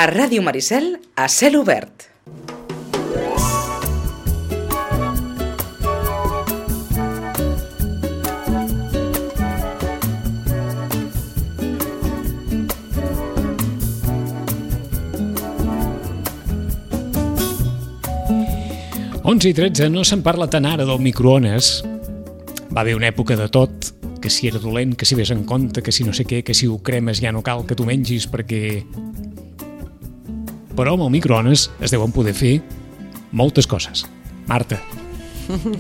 A Ràdio Maricel, a cel obert. Onze i 13, no se'n parla tant ara del microones. Va haver una època de tot, que si era dolent, que si ves en compte, que si no sé què, que si ho cremes ja no cal que tu mengis perquè... Però amb el microones es deuen poder fer moltes coses. Marta,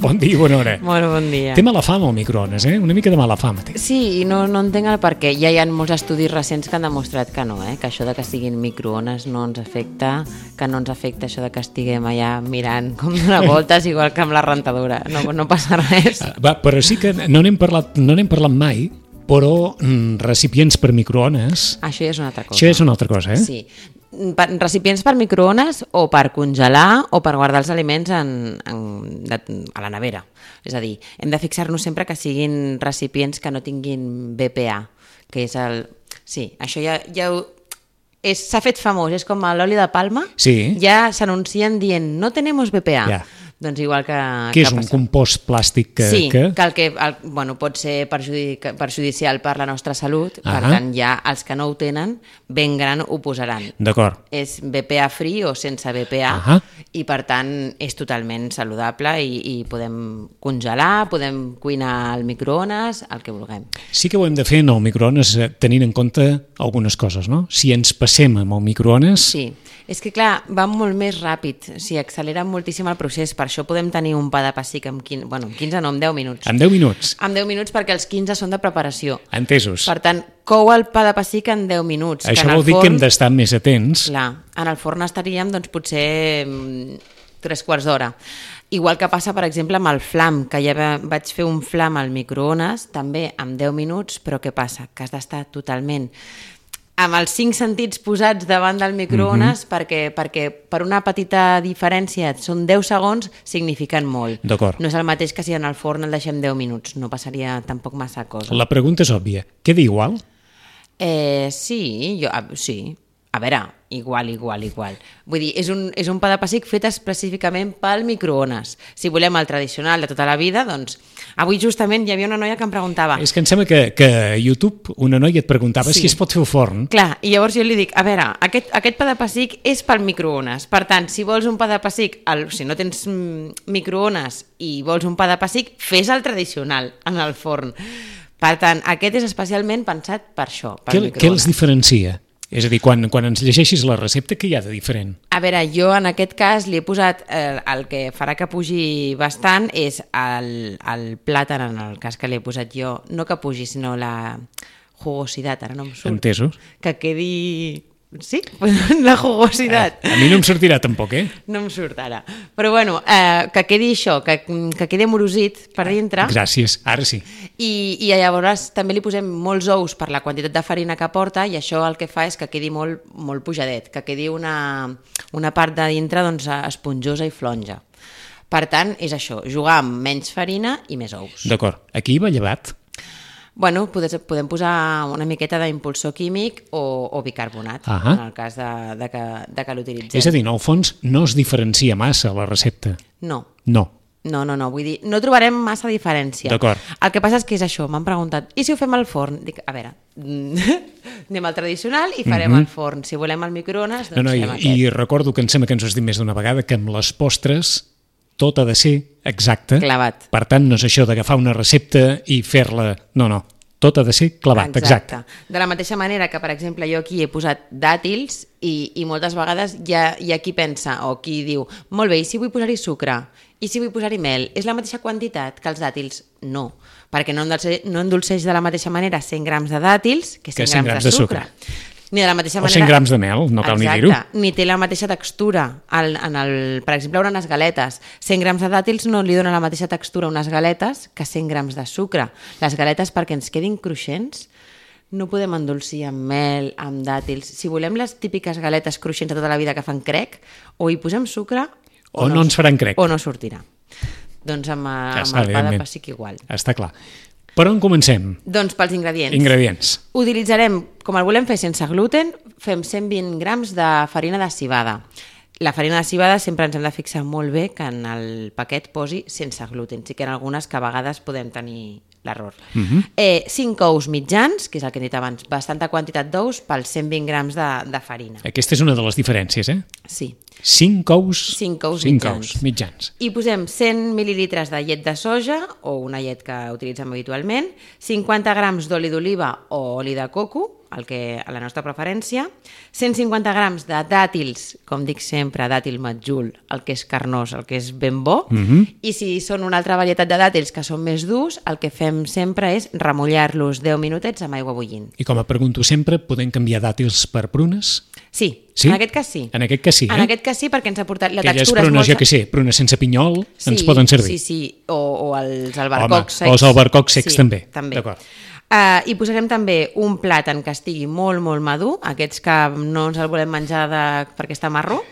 bon dia i bona hora. Molt bon dia. Té mala fama el microones, Una mica de mala fama té. Sí, i no entenc el per què. Ja hi ha molts estudis recents que han demostrat que no, que això de que siguin microones no ens afecta, que no ens afecta això de que estiguem allà mirant com donar voltes, igual que amb la rentadora. No passa res. Però sí que no n'hem parlat mai, però recipients per microones... Això ja és una altra cosa. Això ja és una altra cosa, Sí. Recipients per microones o per congelar o per guardar els aliments a la nevera. És a dir, hem de fixar-nos sempre que siguin recipients que no tinguin BPA, que és el... Sí, això ja s'ha fet famós, és com l'oli de palma, sí. Ja s'anuncien dient no tenemos BPA. Ja. Doncs igual que... Que és un compost plàstic que... Sí, que pot ser perjudicial per la nostra salut, per tant ja els que no ho tenen, ben gran ho posaran. D'acord. És BPA free o sense BPA i per tant és totalment saludable i podem congelar, podem cuinar al microones, el que vulguem. Sí que ho hem de fer en el microones tenint en compte algunes coses, no? Si ens passem amb el microones... Sí, és que clar, va molt més ràpid, accelera moltíssim el procés, per això podem tenir un pa de pessic en 15 no, en 10 minuts. En 10 minuts? En 10 minuts perquè els 15 són de preparació. Entesos. Per tant, cou el pa de pessic en 10 minuts. Això vol dir que hem d'estar més atents. Clar, en el forn estaríem potser 3/4 d'hora. Igual que passa, per exemple, amb el flam, que ja vaig fer un flam al microones, també en 10 minuts, però què passa? Que has d'estar totalment... amb els 5 sentits posats davant del microones perquè per una petita diferència són 10 segons, signifiquen molt. D'acord. No és el mateix que si en el forn el deixem 10 minuts, no passaria tampoc massa cosa. La pregunta és òbvia. Queda igual? Sí. A veure, igual. Vull dir, és un pa de pessic fet específicament pel microones. Si volem el tradicional de tota la vida, doncs... Avui justament hi havia una noia que em preguntava... És que em sembla que a YouTube una noia et preguntava si es pot fer al forn. Clar, i llavors jo li dic, a veure, aquest pa de pessic és pel microones. Per tant, si vols un pa de pessic, si no tens microones i vols un pa de pessic, fes el tradicional en el forn. Per tant, aquest és especialment pensat per això, per microones. Què els diferencia? És a dir, quan ens llegeixis la recepta, què hi ha de diferent? A veure, jo en aquest cas li he posat, el que farà que pugi bastant és el plàtan, en el cas que li he posat jo, no que pugi, sinó la jugositat, ara no em surt. Entesos. Que quedi... Sí, la jugositat. A mi no em sortirà tampoc, No em surt ara. Però bueno, que quedi això, que quedi amorosit per dintre. Gràcies, ara sí. I llavors també li posem molts ous per la quantitat de farina que porta i això el que fa és que quedi molt, molt pujadet, que quedi una part de dintre esponjosa i flonja. Per tant, és això, jugar amb menys farina i més ous. D'acord. Aquí va llevat? Bueno, podem posar una miqueta d'impulsor químic o bicarbonat, en el cas de que l'utilitzem. És a dir, en el fons no es diferencia massa la recepta. No. No, vull dir, no trobarem massa diferència. D'acord. El que passa és que és això, m'han preguntat, i si ho fem al forn? Dic, a veure, anem al tradicional i farem al forn. Si volem al microones, doncs fem aquest. I recordo que em sembla que ens ho has dit més d'una vegada, que amb les postres tot ha de ser exacte. Clavat. Per tant, no és això d'agafar una recepta i fer-la... No, tot ha de ser clavat, exacte. De la mateixa manera que, per exemple, jo aquí he posat dàtils i moltes vegades hi ha qui pensa o qui diu, molt bé, i si vull posar-hi sucre? I si vull posar-hi mel? És la mateixa quantitat que els dàtils? No, perquè no endolceix de la mateixa manera 100 grams de dàtils que 100 grams de sucre. Ni de la mateixa manera... O 100 grams de mel, no cal ni dir-ho. Exacte, ni té la mateixa textura. Per exemple, unes galetes. 100 grams de dàtils no li dona la mateixa textura a unes galetes que 100 grams de sucre. Les galetes, perquè ens quedin cruixents, no podem endolcir amb mel, amb dàtils. Si volem les típiques galetes cruixents de tota la vida que fan crec, o hi posem sucre o no ens faran crec. O no sortirà. Doncs amb el pa de pessic igual. Està clar. Per on comencem? Doncs pels ingredients. Ingredients. Utilitzarem, com el volem fer sense gluten, fem 120 grams de farina de civada. La farina de civada sempre ens hem de fixar molt bé que en el paquet posi sense gluten. Sí que en algunes que a vegades podem tenir l'error. 5 ous mitjans, que és el que he dit abans, bastanta quantitat d'ous pels 120 grams de farina. Aquesta és una de les diferències, eh? Sí. 5 ous, 5 ous mitjans. I posem 100 mil·lilitres de llet de soja, o una llet que utilitzem habitualment, 50 grams d'oli d'oliva o oli de coco, el que a la nostra preferència, 150 grams de dàtils, com dic sempre, dàtil matjul, el que és carnós, el que és ben bo, i si són una altra varietat de dàtils que són més durs, el que fem sempre és remullar-los 10 minutets amb aigua bullint. I com a pregunto sempre, podem canviar dàtils per prunes? Sí, Sí? en aquest cas sí. En aquest cas sí, En aquest cas sí, perquè ens ha portat... La aquelles textura prunes, és molt... jo què sé, prunes sense pinyol, ens poden servir. Sí, o els albercocs secs. O els albercocs secs també. D'acord. I posarem també un plàtan que estigui molt, molt madur, aquests que no ens el volem menjar perquè està marró.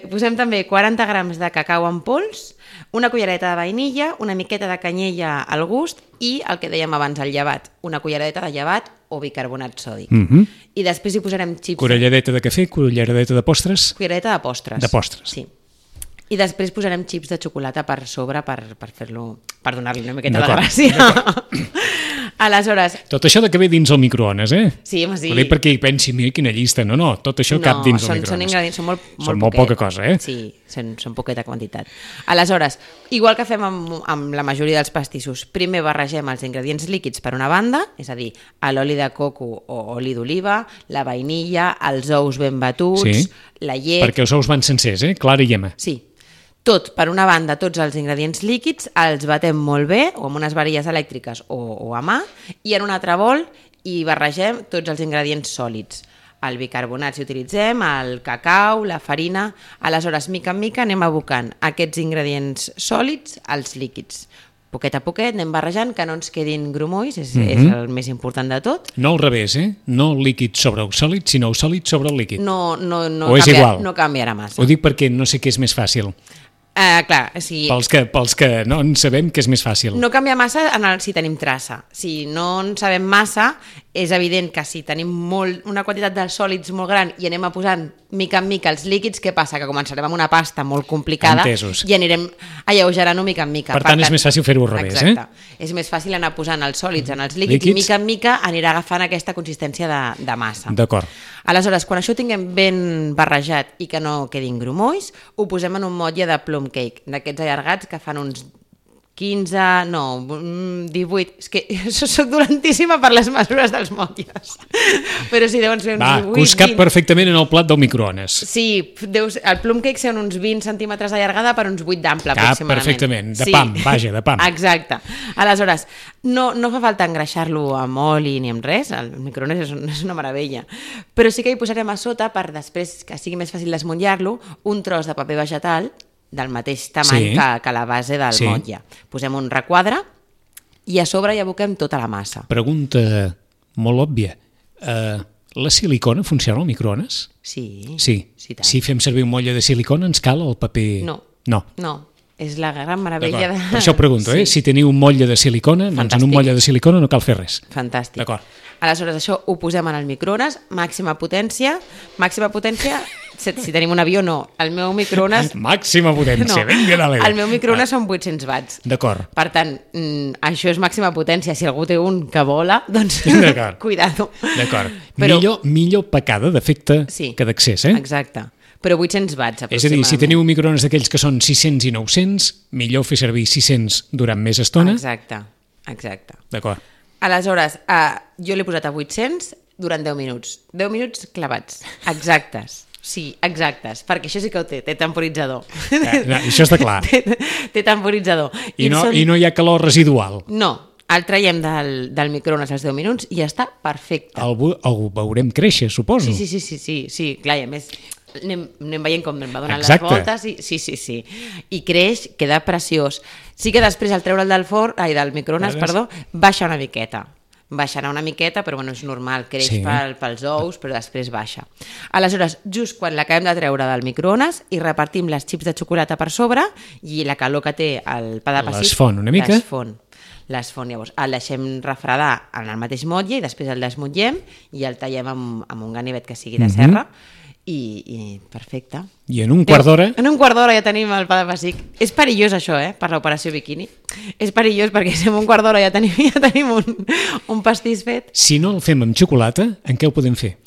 Posem també 40 grams de cacau en pols, una cullereta de vainilla, una miqueta de canyella al gust i el que dèiem abans, el llevat, una cullereta de llevat o bicarbonat sòdic. I després hi posarem xips... Culleradeta de cafè, culleradeta de postres? Cullereta de postres. De postres. Sí. I després posarem xips de xocolata per sobre per fer-lo, per donar-li una miqueta de gràcia. Aleshores... Tot això de que ve dins el microones, eh? Sí, home, sí. Ho dic perquè hi pensi, mira quina llista. No, tot això cap dins el microones. Són ingredients, són molt poca cosa, eh? Sí, són poqueta quantitat. Aleshores, igual que fem amb la majoria dels pastissos, primer barregem els ingredients líquids per una banda, és a dir, l'oli de coco o oli d'oliva, la vainilla, els ous ben batuts, la llet... Perquè els ous van sencers, clara i yema. Sí. Tot, per una banda, tots els ingredients líquids, els batem molt bé, o amb unes varilles elèctriques o a mà, i en un altre bol hi barregem tots els ingredients sòlids. El bicarbonat, si utilitzem, el cacau, la farina... Aleshores, mica en mica, anem abocant aquests ingredients sòlids als líquids. Poquet a poquet anem barrejant, que no ens quedin grumolls, és el més important de tot. No al revés, no líquid sobre el sòlid, sinó el sòlid sobre el líquid. No canviarà massa. Ho dic perquè no sé què és més fàcil. Clar, sí. Pels que no en sabem que és més fàcil. No canvia massa si tenim traça. Si no en sabem massa, és evident que si tenim una quantitat de sòlids molt gran i anem posant mica en mica els líquids, què passa? Que començarem amb una pasta molt complicada i anirem alleugerant-ho mica en mica. Per tant, és més fàcil fer-ho al revés, Exacte. És més fàcil anar posant els sòlids en els líquids i mica en mica anirà agafant aquesta consistència de massa. D'acord. Aleshores, quan això ho tinguem ben barrejat i que no quedin grumolls, ho posem en un motlle de plum cake, d'aquests allargats que fan uns 18... És que soc dolentíssima per les mesures dels motlles. Però sí, deuen ser uns 18... que us cap perfectament en el plat del microones. Sí, el plum cake són uns 20 centímetres d'allargada per uns 8 d'ample, aproximadament. Perfectament, de pam, vaja, de pam. Exacte. Aleshores, no fa falta engreixar-lo amb oli ni amb res, el microones és una meravella, però sí que hi posarem a sota, per després que sigui més fàcil desmuntar-lo, un tros de paper vegetal del mateix tamany que la base del motlle. Posem un requadre i a sobre hi aboquem tota la massa. Pregunta molt òbvia. La silicona funciona al microones? Sí. Tant. Si fem servir un motlle de silicona ens cal el paper... No. És la gran meravella de... Per això pregunto, Si teniu un motlle de silicona, doncs en un motlle de silicona no cal fer res. Fantàstic. D'acord. Aleshores, això ho posem en el microones, màxima potència, si tenim un avió, no. El meu microones... Màxima potència, vinga, dale. El meu microones són 800 watts. D'acord. Per tant, això és màxima potència. Si algú té un que vola, doncs cuidado. D'acord. Millor pecada d'efecte que d'accés, Exacte. Però 800 watts, aproximadament. És a dir, si teniu un microones d'aquells que són 600 i 900, millor fer servir 600 durant més estona. Exacte. D'acord. Aleshores, jo l'he posat a 800 durant 10 minuts. 10 minuts clavats, exactes. Sí, exactes, perquè això sí que ho té temporitzador. Això està clar. Té temporitzador. I no hi ha calor residual. No, el traiem del microones als 10 minuts i ja està perfecte. El veurem créixer, suposo. Sí, clar, i a més anem veient com va donant les voltes. Sí. I creix, queda preciós. Sí que després al treure'l del microones, baixa una miqueta. Baixarà una miqueta, però bueno, és normal, creix pels ous, però després baixa. Aleshores, just quan l'acabem de treure del microones i repartim les xips de xocolata per sobre i la calor que té el pa de pessic... Les fon una mica. les fon. Llavors el deixem refredar en el mateix motlle i després el desmotllem i el tallem amb un ganivet que sigui de serra i perfecte. I en un quart d'hora... En un quart d'hora ja tenim el pa de pessic. És perillós això, per l'operació biquini. És perillós perquè si en un quart d'hora ja tenim un pastís fet. Si no el fem amb xocolata, en què ho podem fer?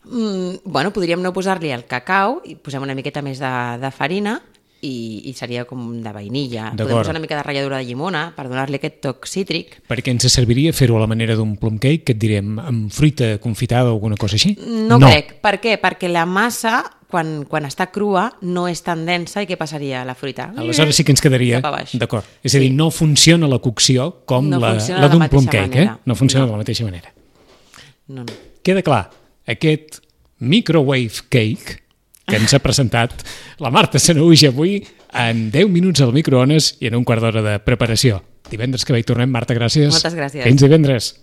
Bueno, podríem no posar-li el cacau i posem una miqueta més de farina i seria com de vainilla. Podem posar una mica de ratlladura de llimona per donar-li aquest toc cítric. Perquè ens serviria fer-ho a la manera d'un plum cake, que et direm, amb fruita confitada o alguna cosa així? No crec. Per què? Perquè la massa, quan està crua, no és tan densa i què passaria a la fruita? Aleshores sí que ens quedaria... D'acord. És a dir, no funciona la cocció com la d'un plum cake, No funciona de la mateixa manera. No. Queda clar, aquest microwave cake que ens ha presentat la Marta Sanahuja avui en 10 minuts al microones i en un quart d'hora de preparació. Divendres que ve hi tornem. Marta, gràcies. Moltes gràcies. Fins divendres.